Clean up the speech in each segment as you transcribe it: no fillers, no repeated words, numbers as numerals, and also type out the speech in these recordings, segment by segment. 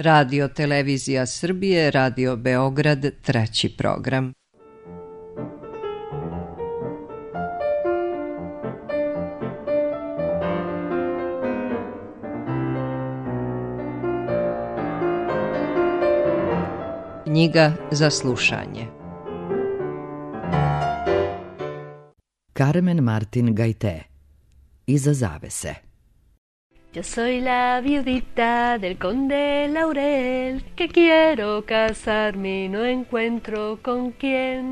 Radio Televizija Srbije, Radio Beograd, 3. program. Knjiga za slušanje. Carmen Martin Gaité. Iza zavese. Yo soy la viudita del conde Laurel, que quiero casarme y no encuentro con quién.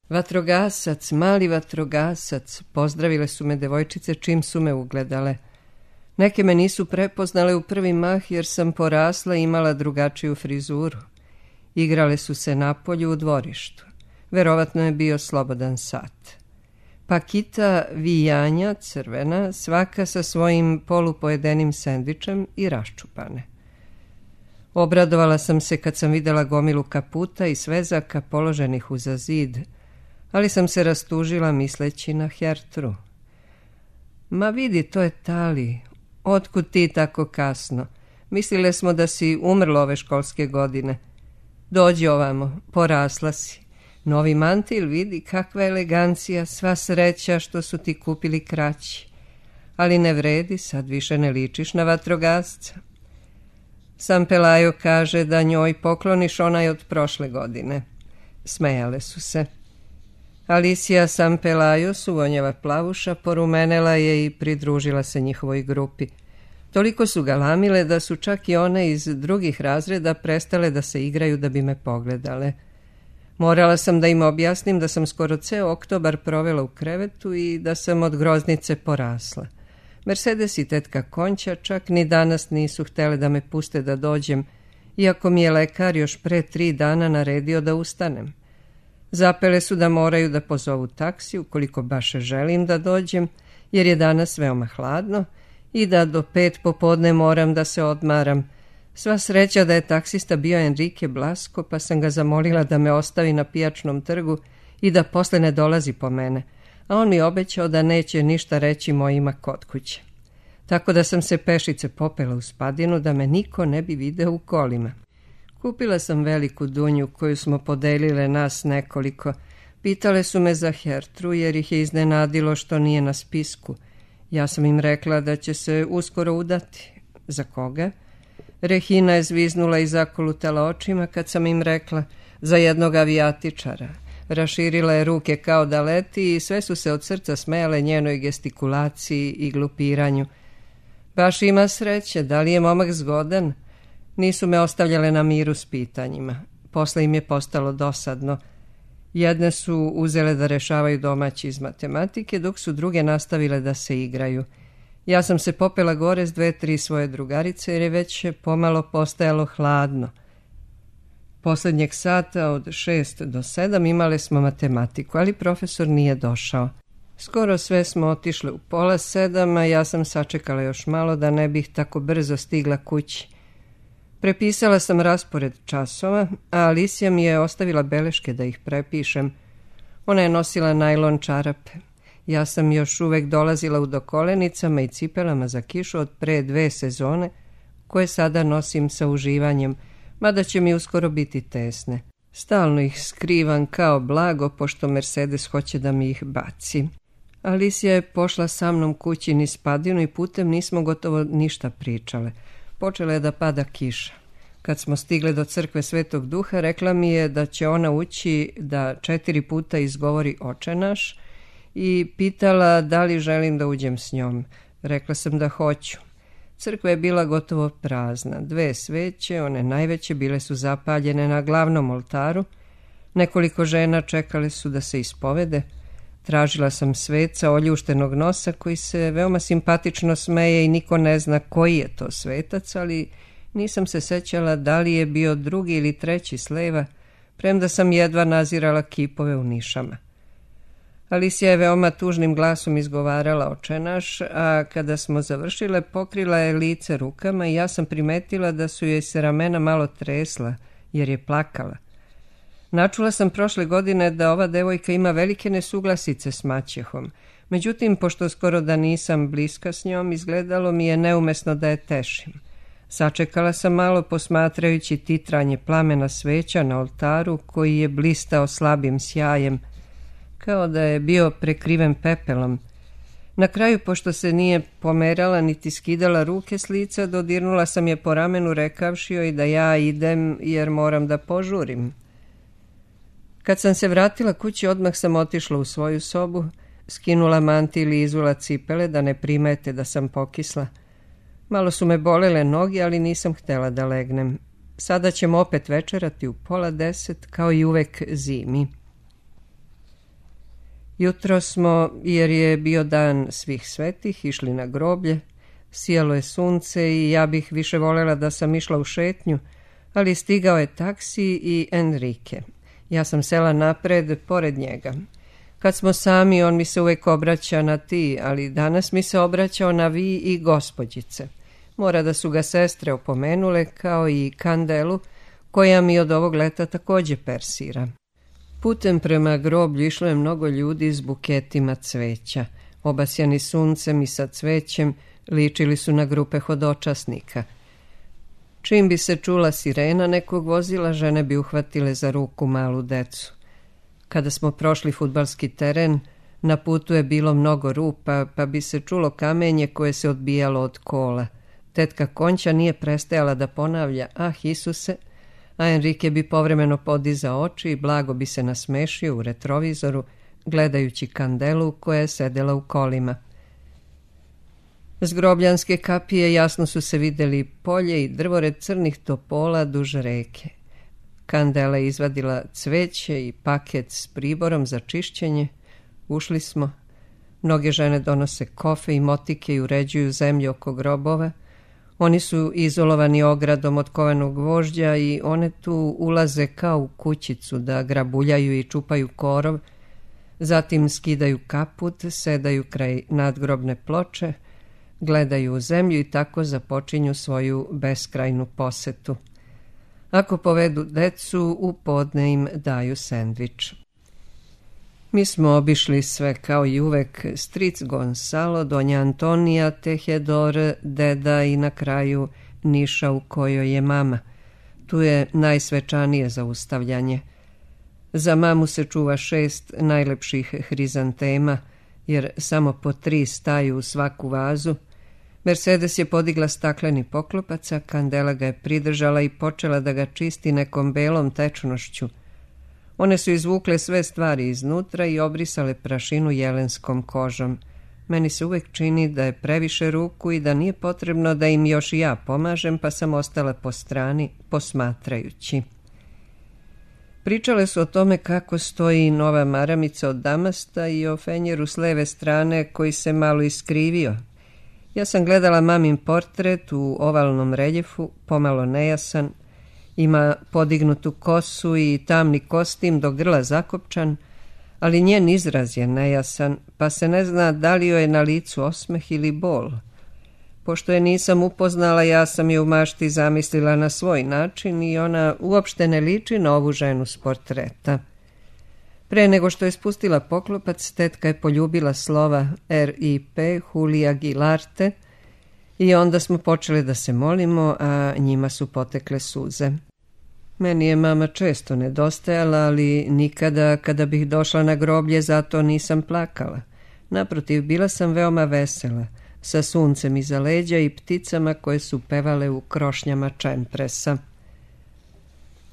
Vatrogasac, mali vatrogasac, pozdravile su me devojčice čim su me ugledale. Neke me nisu prepoznale u prvi mah jer sam porasla i imala drugačiju frizuru. Igrale su se napolju u dvorištu. Verovatno je bio slobodan sat. Pakita vijanja, crvena, svaka sa svojim polupojedenim sendvičem i raščupane. Obradovala sam se kad sam videla gomilu kaputa i svezaka položenih uza zid, ali sam se rastužila misleći na Hertru. Ma vidi, to je Tali. Otkud ti tako kasno? Mislile smo da si umrla ove školske godine. Dođi ovamo, porasla si. Novi mantil, vidi kakva elegancija, sva sreća što su ti kupili kraći. Ali ne vredi, sad više ne ličiš na vatrogasca. Sam Pelajo kaže da njoj pokloniš onaj od prošle godine. Smejale su se. Alicija Sam Pelajo, suvonjeva plavuša, porumenela je i pridružila se njihovoj grupi. Toliko su galamile da su čak i one iz drugih razreda prestale da se igraju da bi me pogledale. Morala sam da im objasnim da sam skoro ceo oktobar provela u krevetu i da sam od groznice porasla. Mercedes i tetka Konća čak ni danas nisu htjele da me puste da dođem, iako mi je lekar još pre 3 dana naredio da ustanem. Zapele su da moraju da pozovu taksi ukoliko baš želim da dođem, jer je danas veoma hladno i da do 5 popodne moram da se odmaram. Sva sreća da je taksista bio Enrique Blasco, pa sam ga zamolila da me ostavi na pijačnom trgu i da posle ne dolazi po mene, a on mi obećao da neće ništa reći mojima kod kuće. Tako da sam se pešice popela u Spadinu da me niko ne bi video u kolima. Kupila sam veliku dunju koju smo podelile nas nekoliko. Pitale su me za Hertru jer ih je iznenadilo što nije na spisku. Ja sam im rekla da će se uskoro udati. Za koga? Rehina je zviznula i zakolutala očima kad sam im rekla za jednog avijatičara. Raširila je ruke kao da leti i sve su se od srca smejale njenoj gestikulaciji i glupiranju. Baš ima sreće, da li je momak zgodan? Nisu me ostavljale na miru s pitanjima. Posle im je postalo dosadno. Jedne su uzele da rešavaju domaći iz matematike, dok su druge nastavile da se igraju. Ja sam se popela gore s 2-3 svoje drugarice jer je već pomalo postajalo hladno. Poslednjeg sata od 6 do 7 imale smo matematiku, ali profesor nije došao. Skoro sve smo otišle u 6:30, a ja sam sačekala još malo da ne bih tako brzo stigla kući. Prepisala sam raspored časova, a Alicija mi je ostavila beleške da ih prepišem. Ona je nosila najlon čarape. Ja sam još uvek dolazila u dokolenicama i cipelama za kišu od pre 2 sezone, koje sada nosim sa uživanjem, mada će mi uskoro biti tesne. Stalno ih skrivam kao blago, pošto Mercedes hoće da mi ih baci. Alicija je pošla sa mnom kući niz Spadinu i putem nismo gotovo ništa pričale. Počela je da pada kiša. Kad smo stigle do crkve Svetog Duha, rekla mi je da će ona ući da 4 puta izgovori Oče naš i pitala da li želim da uđem s njom. Rekla sam da hoću. Crkva je bila gotovo prazna. 2 sveće, one najveće, bile su zapaljene na glavnom oltaru. Nekoliko žena čekale su da se ispovede. Tražila sam sveca oljuštenog nosa koji se veoma simpatično smeje i niko ne zna koji je to svetac, ali nisam se sećala da li je bio 2. ili 3. s leva, premda sam jedva nazirala kipove u nišama. Alicija je veoma tužnim glasom izgovarala Oče naš, a kada smo završile pokrila je lice rukama i ja sam primetila da su joj se ramena malo tresla, jer je plakala. Načula sam prošle godine da ova devojka ima velike nesuglasice s maćehom. Međutim, pošto skoro da nisam bliska s njom, izgledalo mi je neumesno da je tešim. Sačekala sam malo posmatrajući titranje plamena sveća na oltaru koji je blistao slabim sjajem, kao da je bio prekriven pepelom. Na kraju, pošto se nije pomerala niti skidala ruke s lica, dodirnula sam je po ramenu rekavši joj da ja idem jer moram da požurim. Kad sam se vratila kući, odmah sam otišla u svoju sobu, skinula mantil i izula cipele da ne primete da sam pokisla. Malo su me bolele noge, ali nisam htjela da legnem. Sada ćemo opet večerati u 9:30, kao i uvek zimi. Jutro smo, jer je bio dan svih svetih, išli na groblje. Sijalo je sunce i ja bih više voljela da sam išla u šetnju, ali stigao je taksi i Enrique. Ja sam sela napred, pored njega. Kad smo sami, on mi se uvijek obraća na ti, ali danas mi se obraćao na vi i gospođice. Mora da su ga sestre opomenule, kao i Kandelu, koja mi od ovog leta također persira. Putem prema groblju išlo je mnogo ljudi s buketima cveća. Obasjani suncem i sa cvećem ličili su na grupe hodočasnika. Čim bi se čula sirena nekog vozila, žene bi uhvatile za ruku malu decu. Kada smo prošli fudbalski teren, na putu je bilo mnogo rupa, pa bi se čulo kamenje koje se odbijalo od kola. Tetka Konća nije prestajala da ponavlja, ah Isuse, a Enrique bi povremeno podizao oči i blago bi se nasmešio u retrovizoru, gledajući Kandelu koja je sedela u kolima. S grobljanske kapije jasno su se vidjeli polje i drvored crnih topola duž reke. Kandela je izvadila cveće i paket s priborom za čišćenje. Ušli smo. Mnoge žene donose kofe i motike i uređuju zemlju oko grobova. Oni su izolovani ogradom od kovanog gvožđa i one tu ulaze kao u kućicu da grabuljaju i čupaju korov, zatim skidaju kaput, sedaju kraj nadgrobne ploče, gledaju u zemlju i tako započinju svoju beskrajnu posetu. Ako povedu decu, u podne im daju sendvič. Mi smo obišli sve kao i uvek, stric Gonzalo, donja Antonija, Tejedor, deda i na kraju niša u kojoj je mama. Tu je najsvečanije zaustavljanje. Za mamu se čuva 6 najlepših hrizantema, jer samo po 3 staju u svaku vazu. Mercedes je podigla stakleni poklopac, a Kandela ga je pridržala i počela da ga čisti nekom belom tečnošću. One su izvukle sve stvari iznutra i obrisale prašinu jelenskom kožom. Meni se uvijek čini da je previše ruku i da nije potrebno da im još i ja pomažem, pa sam ostala po strani, posmatrajući. Pričale su o tome kako stoji nova maramica od damasta i o fenjeru s leve strane koji se malo iskrivio. Ja sam gledala mamin portret u ovalnom reljefu, pomalo nejasan. Ima podignutu kosu i tamni kostim do grla zakopčan, ali njen izraz je nejasan, pa se ne zna da li joj je na licu osmeh ili bol. Pošto je nisam upoznala, ja sam je u mašti zamislila na svoj način i ona uopšte ne liči na ovu ženu s portreta. Pre nego što je spustila poklopac, tetka je poljubila slova R.I.P. Julia Gilarte i onda smo počeli da se molimo, a njima su potekle suze. Meni je mama često nedostajala, ali nikada kada bih došla na groblje zato nisam plakala. Naprotiv, bila sam veoma vesela, sa suncem iza leđa i pticama koje su pevale u krošnjama čempresa.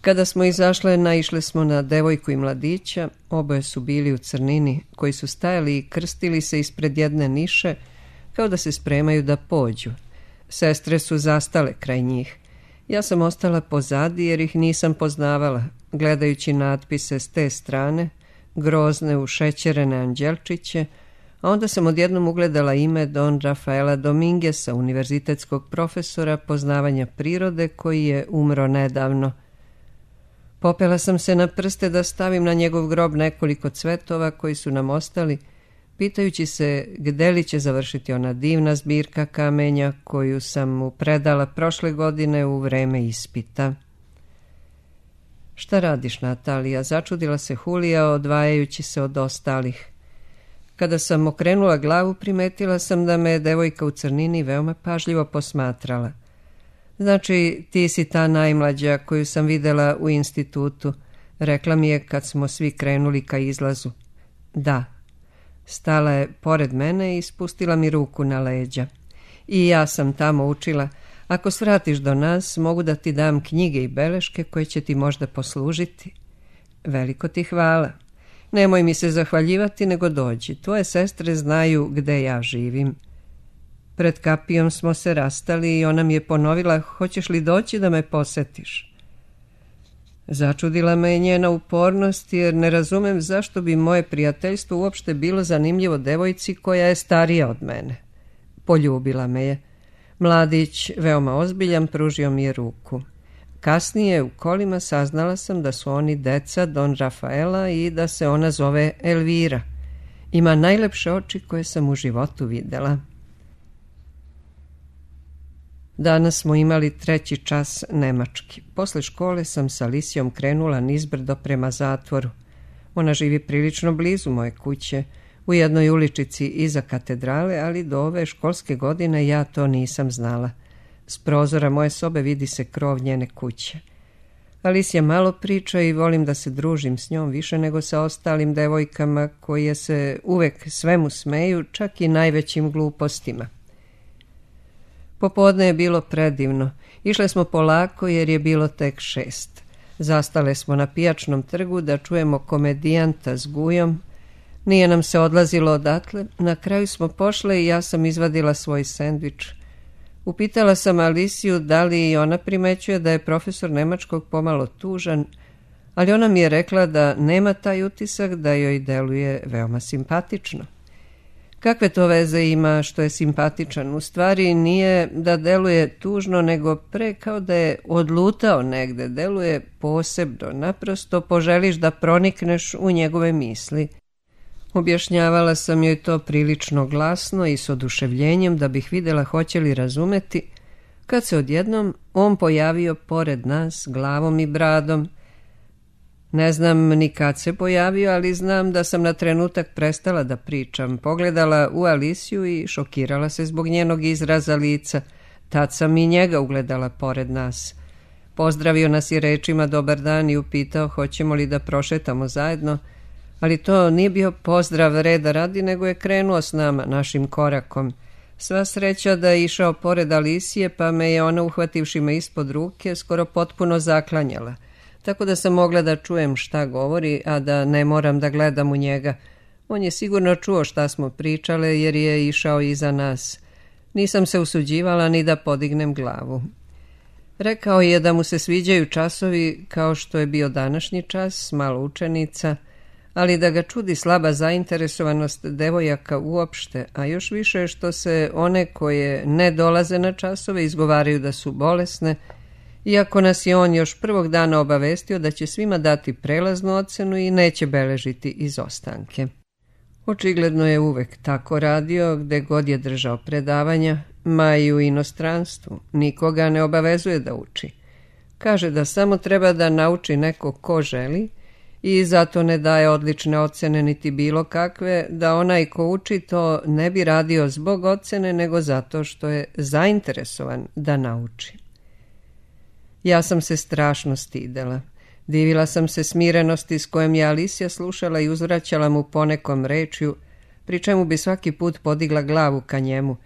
Kada smo izašle, naišle smo na devojku i mladića, oboje su bili u crnini, koji su stajali i krstili se ispred jedne niše, kao da se spremaju da pođu. Sestre su zastale kraj njih. Ja sam ostala pozadi jer ih nisam poznavala, gledajući natpise s te strane, grozne ušećerene anđelčiće, a onda sam odjednom ugledala ime Don Rafaela Domingueza, univerzitetskog profesora poznavanja prirode koji je umro nedavno. Popela sam se na prste da stavim na njegov grob nekoliko cvetova koji su nam ostali, pitajući se gde li će završiti ona divna zbirka kamenja koju sam mu predala prošle godine u vreme ispita. Šta radiš, Natalija? Začudila se Julija, odvajajući se od ostalih. Kada sam okrenula glavu, primetila sam da me devojka u crnini veoma pažljivo posmatrala. Znači, ti si ta najmlađa koju sam videla u institutu, rekla mi je kad smo svi krenuli ka izlazu. Da. Stala je pored mene i spustila mi ruku na leđa. I ja sam tamo učila. Ako svratiš do nas, mogu da ti dam knjige i beleške koje će ti možda poslužiti. Veliko ti hvala. Nemoj mi se zahvaljivati, nego dođi. Tvoje sestre znaju gde ja živim. Pred kapijom smo se rastali i ona mi je ponovila, hoćeš li doći da me posetiš? Začudila me je njena upornost, jer ne razumem zašto bi moje prijateljstvo uopšte bilo zanimljivo devojci koja je starija od mene. Poljubila me je. Mladić, veoma ozbiljan, pružio mi je ruku. Kasnije u kolima saznala sam da su oni deca Don Rafaela i da se ona zove Elvira. Ima najlepše oči koje sam u životu videla. Danas smo imali 3. čas nemački. Posle škole sam sa Alisijom krenula nizbrdo prema zatvoru. Ona živi prilično blizu moje kuće, u jednoj uličici iza katedrale, ali do ove školske godine ja to nisam znala. S prozora moje sobe vidi se krov njene kuće. Alisija malo priča i volim da se družim s njom više nego sa ostalim devojkama koje se uvek svemu smeju, čak i najvećim glupostima. Popodne je bilo predivno. Išle smo polako jer je bilo tek 6. Zastale smo na pijačnom trgu da čujemo komedijanta s Gujom. Nije nam se odlazilo odatle. Na kraju smo pošle i ja sam izvadila svoj sendvič. Upitala sam Alisiju da li i ona primećuje da je profesor nemačkog pomalo tužan, ali ona mi je rekla da nema taj utisak, da joj deluje veoma simpatično. Kakve to veze ima što je simpatičan? U stvari nije da deluje tužno, nego pre kao da je odlutao negde, deluje posebno, naprosto poželiš da pronikneš u njegove misli. Objašnjavala sam joj to prilično glasno i s oduševljenjem da bih videla hoće li razumeti, kad se odjednom on pojavio pored nas glavom i bradom. Ne znam ni kad se pojavio, ali znam da sam na trenutak prestala da pričam, pogledala u Alisiju i šokirala se zbog njenog izraza lica. Tad sam i njega ugledala pored nas. Pozdravio nas i rečima dobar dan i upitao hoćemo li da prošetamo zajedno, ali to nije bio pozdrav reda radi, nego je krenuo s nama, našim korakom. Sva sreća da je išao pored Alisije, pa me je ona, uhvativši me ispod ruke, skoro potpuno zaklanjala, tako da sam mogla da čujem šta govori, a da ne moram da gledam u njega. On je sigurno čuo šta smo pričale, jer je išao iza nas. Nisam se usuđivala ni da podignem glavu. Rekao je da mu se sviđaju časovi kao što je bio današnji čas, malo učenica, ali da ga čudi slaba zainteresovanost devojaka uopšte, a još više što se one koje ne dolaze na časove izgovaraju da su bolesne, iako nas je on još prvog dana obavestio da će svima dati prelaznu ocenu i neće beležiti izostanke. Očigledno je uvek tako radio gde god je držao predavanja, ma i u inostranstvu. Nikoga ne obavezuje da uči. Kaže da samo treba da nauči neko ko želi i zato ne daje odlične ocene niti bilo kakve, da onaj ko uči to ne bi radio zbog ocene, nego zato što je zainteresovan da nauči. Ja sam se strašno stidela. Divila sam se smirenosti s kojom je Alisija slušala i uzvraćala mu ponekom rečju, pri čemu bi svaki put podigla glavu ka njemu.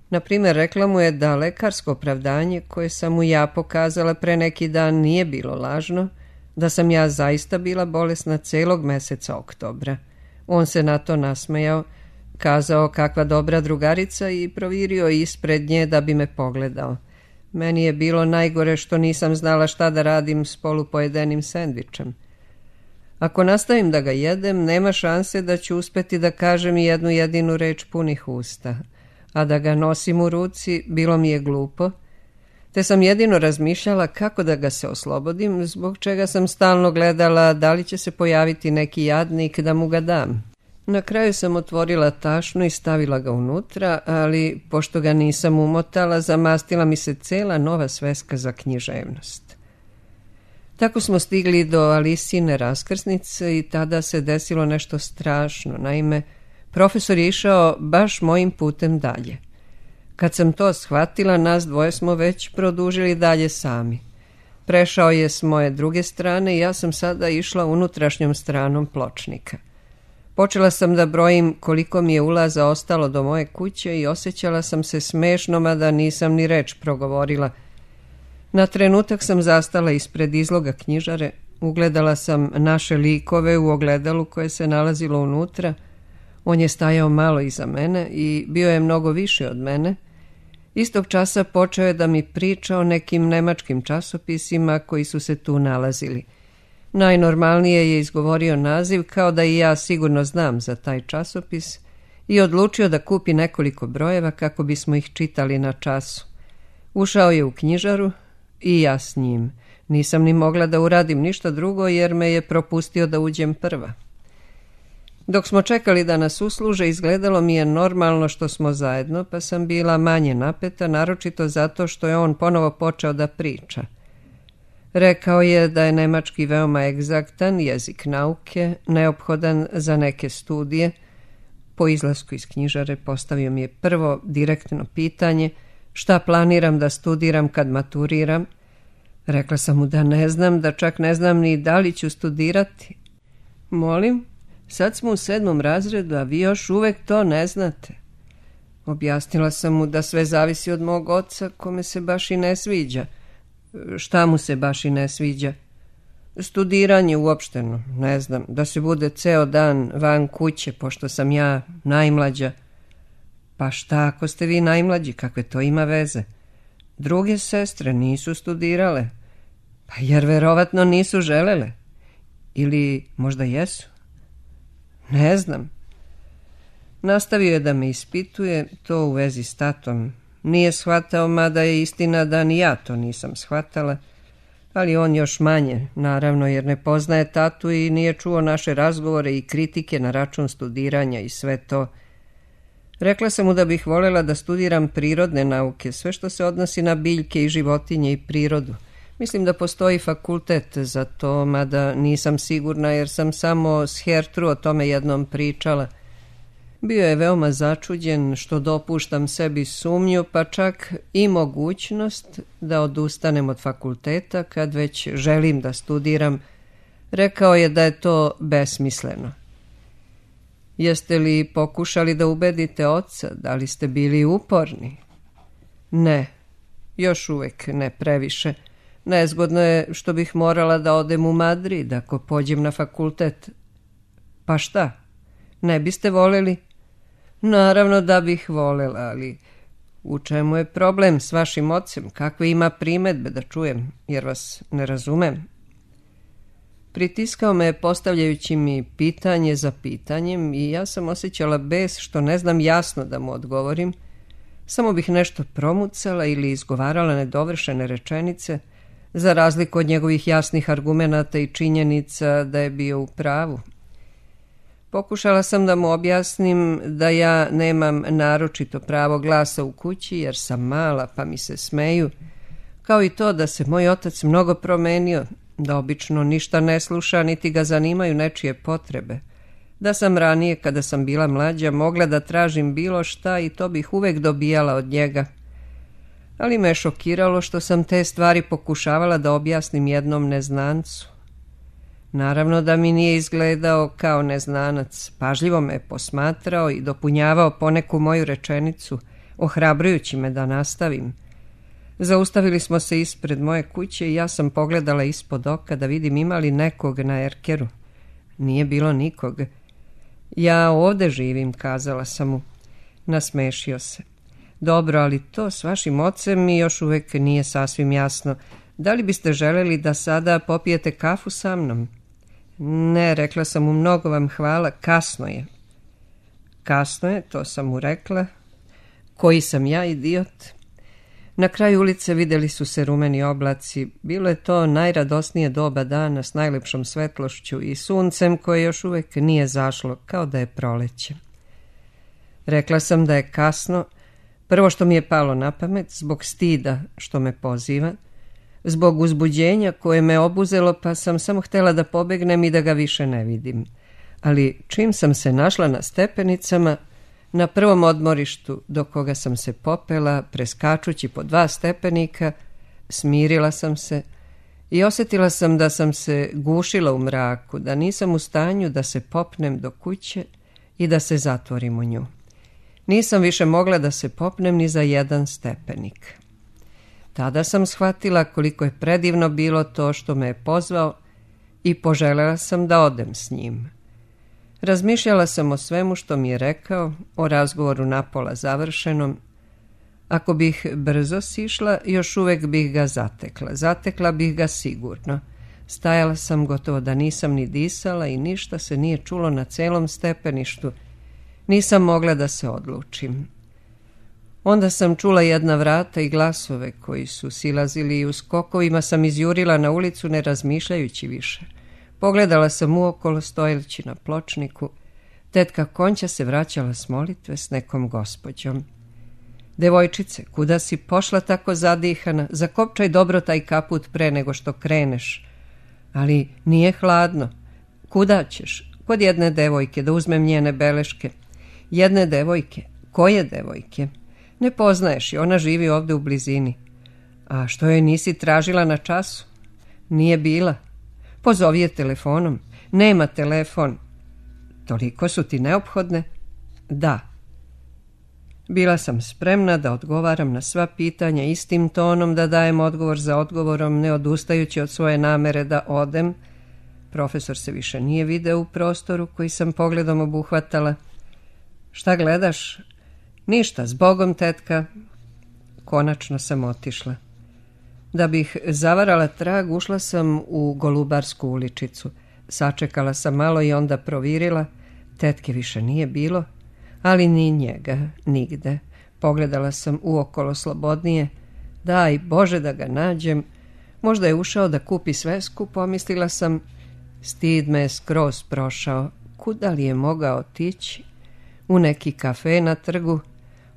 Naprimjer, rekla mu je da lekarsko opravdanje koje sam mu ja pokazala pre neki dan nije bilo lažno, da sam ja zaista bila bolesna celog meseca oktobra. On se na to nasmejao, kazao kakva dobra drugarica i provirio ispred nje da bi me pogledao. Meni je bilo najgore što nisam znala šta da radim s polupojedenim sendvičem. Ako nastavim da ga jedem, nema šanse da ću uspeti da kažem jednu jedinu reč punih usta, a da ga nosim u ruci bilo mi je glupo, te sam jedino razmišljala kako da ga se oslobodim, zbog čega sam stalno gledala da li će se pojaviti neki jadnik da mu ga dam. Na kraju sam otvorila tašnu i stavila ga unutra, ali pošto ga nisam umotala, zamastila mi se cela nova sveska za književnost. Tako smo stigli do Alisine raskrsnice i tada se desilo nešto strašno. Naime, profesor je išao baš mojim putem dalje. Kad sam to shvatila, nas dvoje smo već produžili dalje sami. Prešao je s moje druge strane i ja sam sada išla unutrašnjom stranom pločnika. Počela sam da brojim koliko mi je ulaza ostalo do moje kuće i osjećala sam se smešno, mada nisam ni reč progovorila. Na trenutak sam zastala ispred izloga knjižare, ugledala sam naše likove u ogledalu koje se nalazilo unutra. On je stajao malo iza mene i bio je mnogo viši od mene. Istog časa počeo je da mi priča o nekim nemačkim časopisima koji su se tu nalazili. Najnormalnije je izgovorio naziv, kao da i ja sigurno znam za taj časopis, i odlučio da kupi nekoliko brojeva kako bismo ih čitali na času. Ušao je u knjižaru i ja s njim. Nisam ni mogla da uradim ništa drugo jer me je propustio da uđem prva. Dok smo čekali da nas usluže, izgledalo mi je normalno što smo zajedno, pa sam bila manje napeta, naročito zato što je on ponovo počeo da priča. Rekao je da je nemački veoma egzaktan jezik nauke, neophodan za neke studije. Po izlasku iz knjižare postavio mi je prvo direktno pitanje šta planiram da studiram kad maturiram. Rekla sam mu da ne znam, da čak ne znam ni da li ću studirati. Molim, sad smo u 7. razredu, a vi još uvek to ne znate. Objasnila sam mu da sve zavisi od mog oca, kome se baš i ne sviđa. Šta mu se baš i ne sviđa? Studiranje uopšteno, ne znam, da se bude ceo dan van kuće, pošto sam ja najmlađa. Pa šta ako ste vi najmlađi, kakve to ima veze? Druge sestre nisu studirale, pa jer verovatno nisu želele. Ili možda jesu? Ne znam. Nastavio je da me ispituje, to u vezi s tatom. Nije shvatao, mada je istina da ni ja to nisam shvatala, ali on još manje, naravno, jer ne poznaje tatu i nije čuo naše razgovore i kritike na račun studiranja i sve to. Rekla sam mu da bih voljela da studiram prirodne nauke, sve što se odnosi na biljke i životinje i prirodu. Mislim da postoji fakultet za to, mada nisam sigurna jer sam samo s Hertru o tome jednom pričala. Bio je veoma začuđen što dopuštam sebi sumnju, pa čak i mogućnost da odustanem od fakulteta kad već želim da studiram. Rekao je da je to besmisleno. Jeste li pokušali da ubedite oca? Da li ste bili uporni? Ne, još uvek ne previše. Nezgodno je što bih morala da odem u Madrid ako pođem na fakultet. Pa šta? Ne biste voljeli? Naravno da bih voljela, ali u čemu je problem s vašim ocem? Kakve ima primedbe da čujem, jer vas ne razumem? Pritiskao me postavljajući mi pitanje za pitanjem i ja sam osjećala bes što ne znam jasno da mu odgovorim. Samo bih nešto promucala ili izgovarala nedovršene rečenice, za razliku od njegovih jasnih argumenata i činjenica da je bio u pravu. Pokušala sam da mu objasnim da ja nemam naročito pravo glasa u kući jer sam mala pa mi se smeju, kao i to da se moj otac mnogo promenio, da obično ništa ne sluša niti ga zanimaju nečije potrebe, da sam ranije kada sam bila mlađa mogla da tražim bilo šta i to bih uvek dobijala od njega. Ali me šokiralo što sam te stvari pokušavala da objasnim jednom neznancu. Naravno da mi nije izgledao kao neznanac, pažljivo me posmatrao i dopunjavao poneku moju rečenicu, ohrabrujući me da nastavim. Zaustavili smo se ispred moje kuće i ja sam pogledala ispod oka da vidim ima li nekog na erkeru. Nije bilo nikog. Ja ovde živim, kazala sam mu. Nasmešio se. Dobro, ali to s vašim ocem mi još uvek nije sasvim jasno. Da li biste želeli da sada popijete kafu sa mnom? Ne, rekla sam mu, mnogo vam hvala, kasno je. Kasno je, to sam mu rekla. Koji sam ja, idiot? Na kraju ulice videli su se rumeni oblaci. Bilo je to najradosnije doba dana s najlepšom svetlošću i suncem koje još uvek nije zašlo, kao da je proleće. Rekla sam da je kasno, prvo što mi je palo na pamet, zbog stida što me poziva, zbog uzbuđenja koje me obuzelo, pa sam samo htjela da pobegnem i da ga više ne vidim. Ali čim sam se našla na stepenicama, Na prvom odmorištu do koga sam se popela, preskačući po 2 stepenika, smirila sam se i osjetila sam da sam se gušila u mraku, da nisam u stanju da se popnem do kuće i da se zatvorim u nju. Nisam više mogla da se popnem ni za 1 stepenik. Tada sam shvatila koliko je predivno bilo to što me je pozvao i poželjela sam da odem s njim. Razmišljala sam o svemu što mi je rekao, o razgovoru napola završenom. Ako bih brzo sišla, još uvijek bih ga zatekla. Zatekla bih ga sigurno. Stajala sam gotovo da nisam ni disala i ništa se nije čulo na celom stepeništu. Nisam mogla da se odlučim. Onda sam čula jedna vrata i glasove koji su silazili i u skokovima sam izjurila na ulicu ne razmišljajući više. Pogledala sam uokolo stojeći na pločniku. Tetka Konća se vraćala s molitve s nekom gospođom. Devojčice, kuda si pošla tako zadihana? Zakopčaj dobro taj kaput pre nego što kreneš. Ali nije hladno. Kuda ćeš? Kod jedne devojke, da uzmem njene beleške. Jedne devojke? Koje devojke? Ne poznaješ je, ona živi ovde u blizini. A što joj nisi tražila na času? Nije bila. Pozovi je telefonom. Nema telefon. Toliko su ti neophodne? Da. Bila sam spremna da odgovaram na sva pitanja istim tonom, da dajem odgovor za odgovorom, ne odustajući od svoje namere da odem. Profesor se više nije video u prostoru koji sam pogledom obuhvatala. Šta gledaš? Ništa, zbogom, tetka. Konačno sam otišla. Da bih zavarala trag, ušla sam u Golubarsku uličicu. Sačekala sam malo i onda provirila. Tetke više nije bilo, ali ni njega, nigde. Pogledala sam uokolo slobodnije. Daj Bože da ga nađem. Možda je ušao da kupi svesku, pomislila sam. Stid me je skroz prošao. Kuda li je mogao otići? U neki kafe na trgu.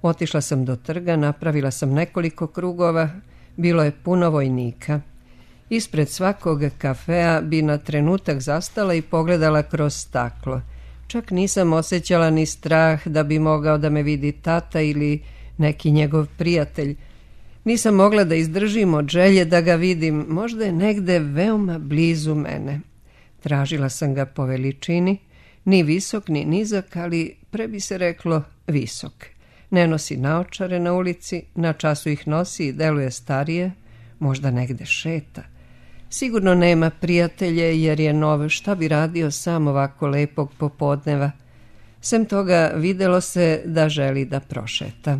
Otišla sam do trga, napravila sam nekoliko krugova. Bilo je puno vojnika. Ispred svakog kafea bi na trenutak zastala i pogledala kroz staklo. Čak nisam osjećala ni strah da bi mogao da me vidi tata ili neki njegov prijatelj. Nisam mogla da izdržim od želje da ga vidim, možda je negde veoma blizu mene. Tražila sam ga po veličini, ni visok ni nizak, ali pre bi se reklo visok. Ne nosi naočare na ulici, na času ih nosi i deluje starije, možda negde šeta. Sigurno nema prijatelje jer je nov, šta bi radio sam ovako lepog popodneva. Sem toga videlo se da želi da prošeta.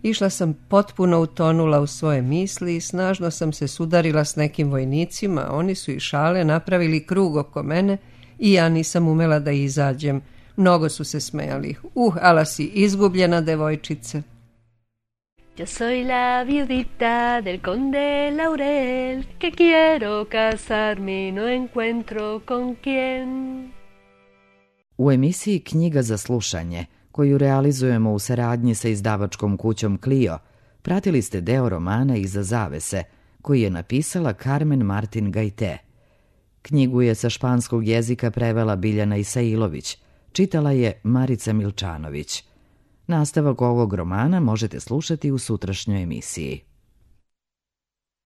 Išla sam potpuno utonula u svoje misli i snažno sam se sudarila s nekim vojnicima, oni su i šale napravili krug oko mene i ja nisam umela da izađem. Mnogo su se smejali. Ala si izgubljena devojčice. Yo soy la viudita del conde Laurel, que quiero casarme y no encuentro con quién. U emisiji Knjiga za slušanje, koju realizujemo u saradnji sa izdavačkom kućom Clio, pratili ste deo romana Iza zavese, koji je napisala Carmen Martin Gajte. Knjigu je sa španskog jezika prevela Biljana Isailović, čitala je Marica Milčanović. Nastavak ovog romana možete slušati u sutrašnjoj emisiji.